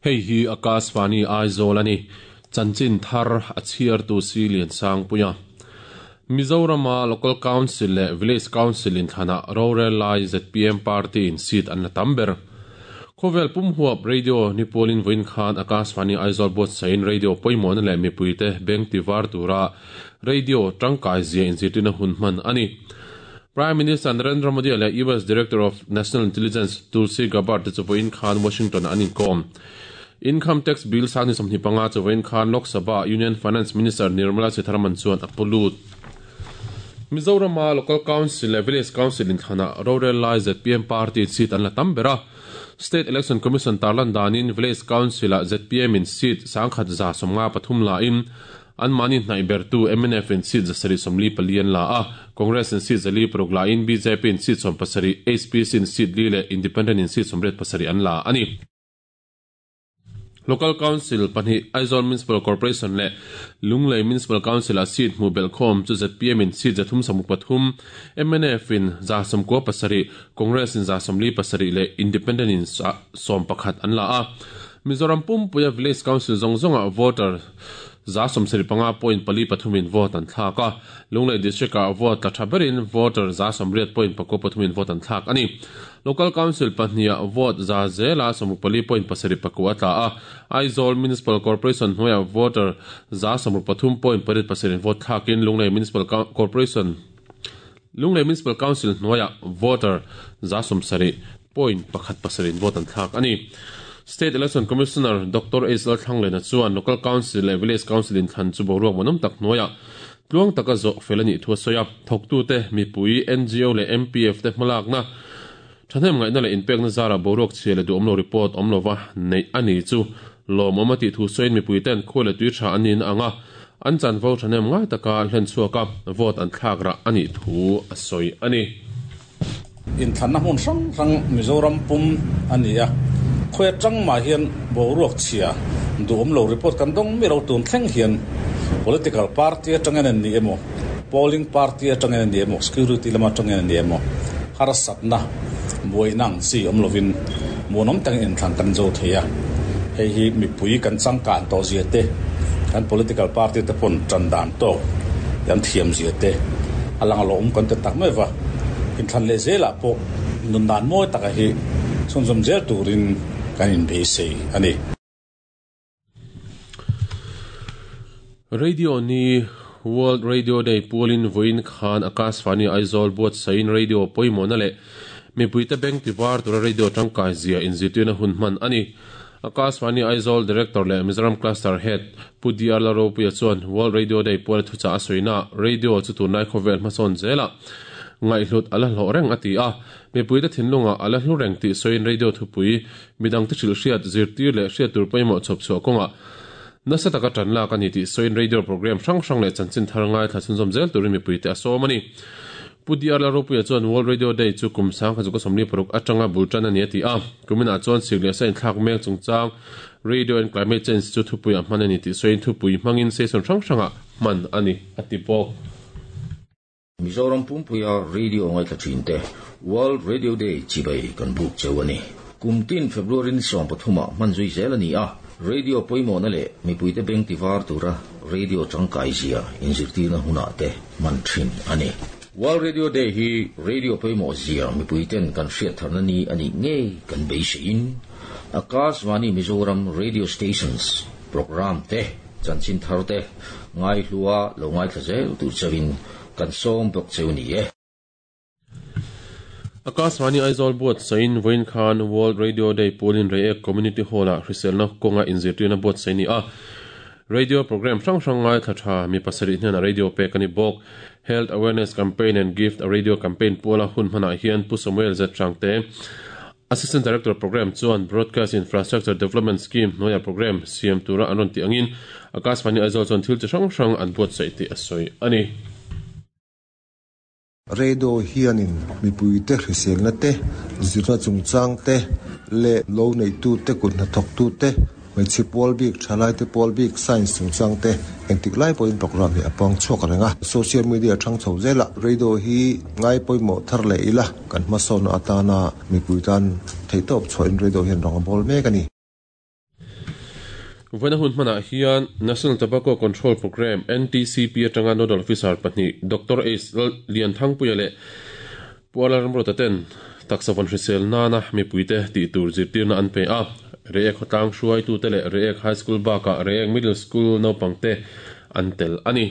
Hei hi Akashvani Aizawl a ni. Chanchin thar a chhiartu si Liansangpuia. Mizorama Local Council leh Village Council inthlanah rorel lai zpm party in seat an la tam ber. Khawvel pum huap radio ni pualin vawiin khan Akashvani Aizawl buatsaihin radio pawimawhna leh mipuite beng tivar tura radio tangkai zia inzirtirna hun hman a ni. Prime Minister Narendra Modi leh US Director of National Intelligence Tulsi Gabbard te chu vawiin khan Washington-ah an inkawm. Income Tax Bill sang 25 chu vawiin khan Lok Sabha-ah Union Finance Minister Nirmala Sitharaman chuan a pu lut. Mizorama Local Council leh Village Council inthlanah rorel lai zpm party seat an la tam ber a. State Election Commission tarlan danin Village Council-ah zpm in seat 1153 lain Anmahni hnaih bertu mnf in seat 744 an la a, Congress in seat 406 lain bjp in seat 17, HPC in seat li leh Independent in seat 87 an la a ni. Local Council pahnih Aizawl Municipal Corporation leh Lunglei Municipal Council-ah seat hmuh belhkhawm chu zpm in seat 363, mnf in 97, Congress in 47 leh Independent in 11 an la a. Mizoram pumpuia Village Council zawng zawngah voter 75 point pali pathumin vote an thlak a, Lunglei District-ah vote tla tha berin voter 80 point pakua pathumin vote an thlak a ni. Local Council pahniha vote za zela 64 point pasarih pakua a tla a, Aizawl Municipal Corporation hnuaiah voter 63 point pariat pasarih vote thlakin Lunglei Municipal Corporation Lunglei Municipal Council hnuaiah voter 70 point pakhat pasarih vote an thlak a ni. State Election Commissioner Doctor H Lalthlanglena chuan Local Council leh Village Council inthlan chu boruak manawm tak hnuaiah tluang taka zawh fel a nih thu a sawi a. Thawktute, mipui, ngo leh MPF te hmalakna, thahnem ngaihna leh inpekna zarah boruak chhia leh duhawmlo report awm lova neih a ni chu lawmawm a tih thu sawiin mipuiten khua leh tui tha an niin a ang a, an chanvo thahnem ngai taka hlen chhuak a, vote an thlak rah a nih thu a sawi a ni. Inthlanna hmun hrang hrang Mizoram pum a ni a, khawi atang mah hian boruak chhia duhawm lo report kan dawng miah lo tun thleng hian political party atangin an ni emaw, polling party atangin an ni emaw, security lam atangin an ni emaw harsatna buaina ang chi awm lovin muanawm takin inthlan kan zo thei a, hei hi mipui kan changkan tawh zia te, kan political party te pawn tan dan tawk kan thiam zia te a lang alawm kan ti tak mai va. Inthlan leh zelah pawh nun dan mawi taka hi chhunzawm zel turin kan inbeisei a ni. Radio ni World Radio Day pualin vawiin khan Akashvani Aizawl buatsaihin radio pawimawhna leh mipuite beng tivar tura radio tangkai zia inzirtirna hun hman a ni. Akashvani Aizawl Director leh Mizoram Cluster Head Pu DR Lalropuia chuan World Radio Day puala thuchah a sawina radio chu tunlai khawvel hmasawn zelah ngaihhlut a la hlawh reng a ti a. Mipuite thinlungah a la hlu reng tih sawiin radio thupui midangte hrilh hriat, zirtir leh hriat tur pawimawh chhawp chhuah kawngah nasa taka tan lak a ni tih sawiin radio program hrang hrang leh chanchin thar ngaithla chhunzawm zel turin mipuite a sawm a ni. Pu DR Lalropuia chuan World Radio Day chu kum 1976 atanga bul tan a ni a ti a. Kuminah chuan sik leh sa inthlak mek chungchang Radio and Climate Change chu thupuiah hman a ni tih sawiin thupui hmangin session hrang hrangah hman a ni a ti bawk. Mizoram pumpuia radio ngaithla thin te World Radio Day chibai kan buk cheu a ni. Kum tin February ni 13 ah hman zui zel a ni a, radio pawimawhna leh mipuite beng ti var tura radio tangkai zia inzirtirna hunah te hman thin a ni. World Radio Day hi radio pawimawh zia mipuiten kan hriat tharna ni a nih ngei kan beiseiin Akashvani Mizoram Radio Stations Programme te chanchin thar te ngaihlua lo ngaithla zel tur chauhin kan sawm bawk cheu ni e. Akashvani Aizawl buatsain vawiin khan World Radio Day pualin Reiek Community Hall-ah hriselna kawnga inzirtirna buatsaih a ni a. Radio program hrang hrang ngaithla tha mi pasarih hnenah radio pek a ni bawk. Health Awareness Campaign and Gift a Radio Campaign puala hun hmanah hian Pu Samuel Z Hrangte, Assistant Director Programme chuan Broadcast Infrastructure Development Scheme hnuaia programme siam tura an rawn tih angin Akashvani Aizawl chuan thil chi hrang hrang an buatsaih tih a sawi a ni. Radio hianin mipuite hriselna te, zirna chungchang te leh lo neihtute kut hnathawktute, Hmeichhe pawl bik, thalaite pawl bik, science chungchang te engtik lai pawhin program hi a pang chhuak reng a. Social media thang chho zelah radio hi ngai pawimawh thar leh ila kan hmasawnna atana mipui tan theihtawp chhuahin radio hian rawng a bawl mek a ni. Vawiina hun hmanah hian National Tobacco Control Programme, NTCP, atanga Nodal Officer pahnih Doctor Ace Lianthangpuia leh Pu Alarmruata ten taksa vawn hrisel nana mipuite tih tur zirtirna an pe a. Reiek khawtlang hruaitute leh Reiek High School bakah Reiek Middle School naupangte an tel a ni.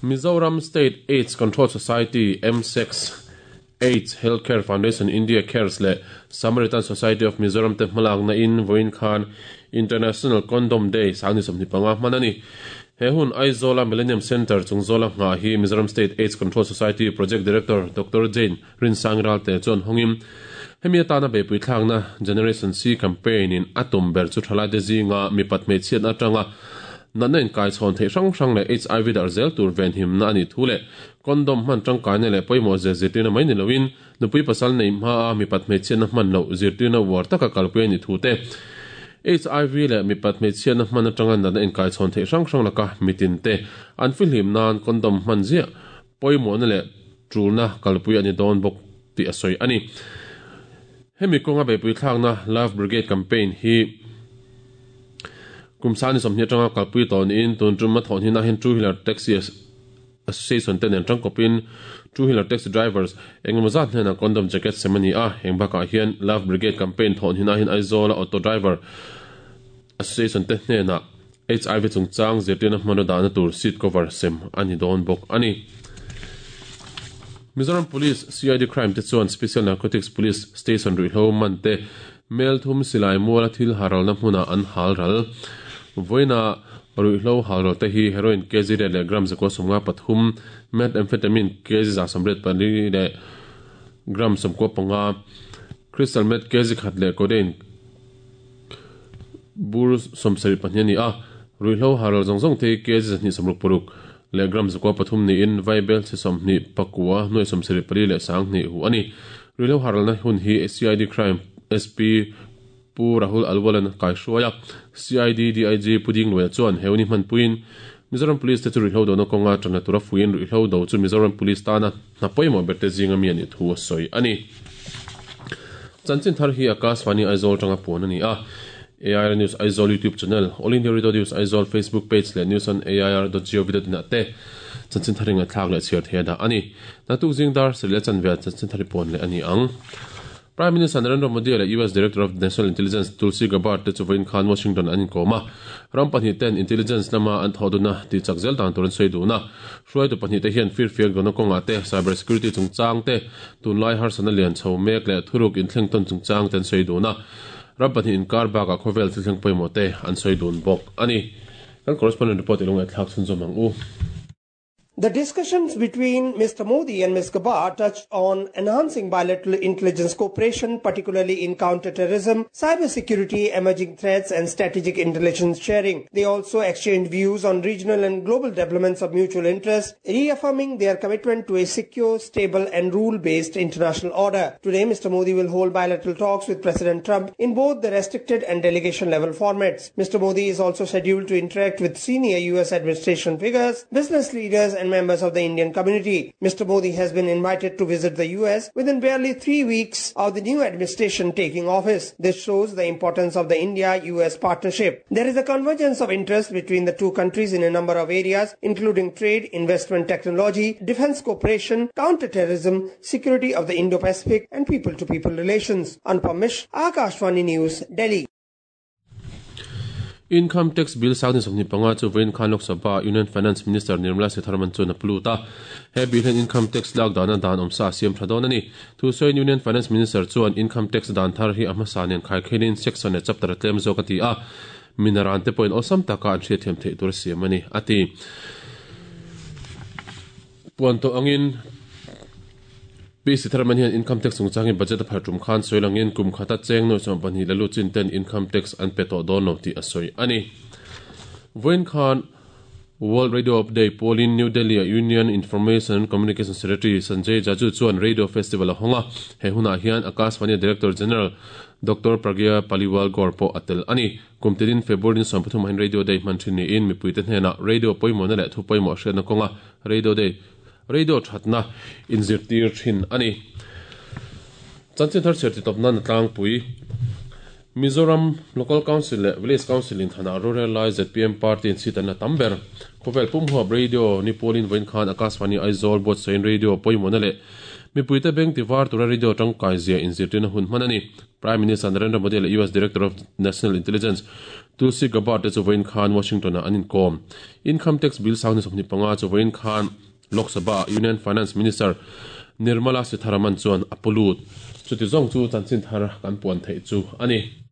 Mizoram State AIDS Control Society, MSACS, AIDS Healthcare Foundation India Cares leh Samaritan Society of Mizoram te hmalakna in vawiin khan International Condom Day sangni 25 hman a ni. He hun Aizawl-a Millennium Centre chungzawla nghah hi Mizoram State AIDS Control Society Project Director Doctor Jane Rinsang Ralte chuan hawngin hemi atana beihpui thlakna Generation C campaign in a tum ber chu thalaite zinga mipat hmeichhiatna atanga natna inkaichhawn theih hrang hrang leh HIV darh zel tur venhimna a nih thu leh Condom hman tangkaina leh pawimawh zia zirtirna mai ni loin nupui pasal neih hmaa mipat hmeichhiatna hman loh zirtirna uar taka kalpui a nih thu te, HIV leh mipat hmeichhiatna hman atanga natna inkaichhawn theih hrang hrang laka mitin te an fihlim nan condom hman ziah pawimawhna leh tulna kalpui a ni dawn bawk tih a sawi a ni. Hemi kawnga beihpui thlakna Love Brigade campaign hi kum sani 20 atanga kalpui tawh niin tun tum a thawh hninah hian two wheeler taxi Association te nen tangkawpin Two Wheeler Taxi Drivers engemaw zat hnenah condom jacket sem a ni a, heng bakah hian Love Brigade campaign thawh hnenah hian Aizawla Auto Driver Association te hnenah HIV chungchang zirtirna hmanraw dahna tur seat cover sem a ni dawn bawk a ni. Mizoram Police CID Crime te chuan Special Narcotics Police Station ruihhlo man te Melthum silai muala thil haralna hmunah an hal ral. Vawiina ruihhlo hal ral te hi heroin kg riat leh gram 193, methamphetamine kg 184 leh gram 95, crystal meth kg khat leh codeine bur 72 a ni a. Ruihhlo hal ral zawng zawng te hi kg 266 leh gram 93 niin vaibel chhe 29 nuai 74 leh 20 hu a ni. Ruihhlo haralna hun hi CID Crime SP Pu Rahul Alwal-a'n a kaihruai a, CID DIG Pu Dingluaia chuan he uni hmanpuiin Mizoram Police te chu ruihhlo dona kawnga tanna tura fuiin ruihhlo do chu Mizoram Police tana hna pawimawh berte zinga mi a nih thu a sawi a ni. Chanchin thar hi Akashvani Aizawl atanga puan a ni a, AIR News Aizawl YouTube channel, All India Radio News Aizawl Facebook page leh news on air dot gov dot in ah te chanchin thar ingaithlak leh chhiar thei a dah a ni. Naktuk zing dar sarih leh chanve ah chanchin thar i puan leh a ni ang. Prime Minister Narendra Modi leh US Director of National Intelligence Tulsi Gabbard te chu vawiin khan Washington an inkawm a. Ram pahnih ten intelligence lama an thawh duna tih chak zel dan tur an sawi dun a. Hruaitu pahnih te hian firfiak dawna kawngah te, cyber security chungchang te, tunlai harsatna lian chho mek leh thuruk inthleng tawn chungchang te an sawi dun a. Ram pahnih inkar bakah khawvel thil thleng pawimawh te an sawi dun bawk a ni. Kan correspondent report i lo ngaihthlak chhunzawm ang u. The discussions between Mr. Modi and Ms. Gabbard touched on enhancing bilateral intelligence cooperation, particularly in counter-terrorism, cybersecurity, emerging threats, and strategic intelligence sharing. They also exchanged views on regional and global developments of mutual interest, reaffirming their commitment to a secure, stable, and rule-based international order. Today, Mr. Modi will hold bilateral talks with President Trump in both the restricted and delegation-level formats. Mr. Modi is also scheduled to interact with senior U.S. administration figures, business leaders, and members of the Indian community. Mr. Modi has been invited to visit the US within barely 3 weeks of the new administration taking office. This shows the importance of the India-US partnership. There is a convergence of interests between the two countries in a number of areas, including trade, investment, technology, defense cooperation, counter-terrorism, security of the Indo-Pacific, and people-to-people relations. Anupam Mishra, Akashvani News, Delhi. Income Tax Bill 2025 chu vawiin khan Lok Sabha Union Finance Minister Nirmala Sitharaman chuan a pu lut a. He bill hian Income Tax lak dana dan awmsa a siam tha dawn a ni. Thusawiin Union Finance Minister chuan Income Tax dan thar hi a hmasa nen khaikhelin section leh chapter a tlem zawk a ti a, minaran te pawhin awlsam taka an hriatthiam theih tur a siam a ni, a ti. Puan tawh angin Pi Sitharaman hian Income Tax chungchangin budget a phar tum khan sawi langin kum khata cheng nuai 12 la lut chin ten Income Tax an pe tawh dawn lo tih a sawi a ni. Vawiin khan World Radio Day pawlin New Delhi-a Union Information and Communication Secretary Sanjay Jaju chuan Radio Festival a hawng a, he hunah hian Akashvani Director General Doctor Pragya Paliwal Gaur pawh a tel a ni. Kum tilin February ni 13 hian Radio Day hman thin niin mipuite hnenah radio pawimawhna leh thu pawimawh hriatna kawnga Radio Day Radio thatna inzirtir thin a ni. Chanchin thar chhiar titawp nan a tlangpui. Mizoram Local Council leh Village Council inthlanah rorel lai zpm party in seat an la tam ber. Khawvel pum huap radio ni pawlin vawiin khan Akashvani Aizawl buatsahin radio pawimawhna leh mipuite beng ti var tura radio tangkai zia inzirtirna hun hman a ni. Prime Minister Narendra Modi leh US Director of National Intelligence Tulsi Gabbard te chu vawiin khan Washington ah an inkawm. Income Tax Bill sang ni 25 chu vawiin khan Lok Sabha ah Union Finance Minister Nirmala Sitharaman chuan a pu lut. Chuti zawng chu chanchin thar kan puan theih chu a ni.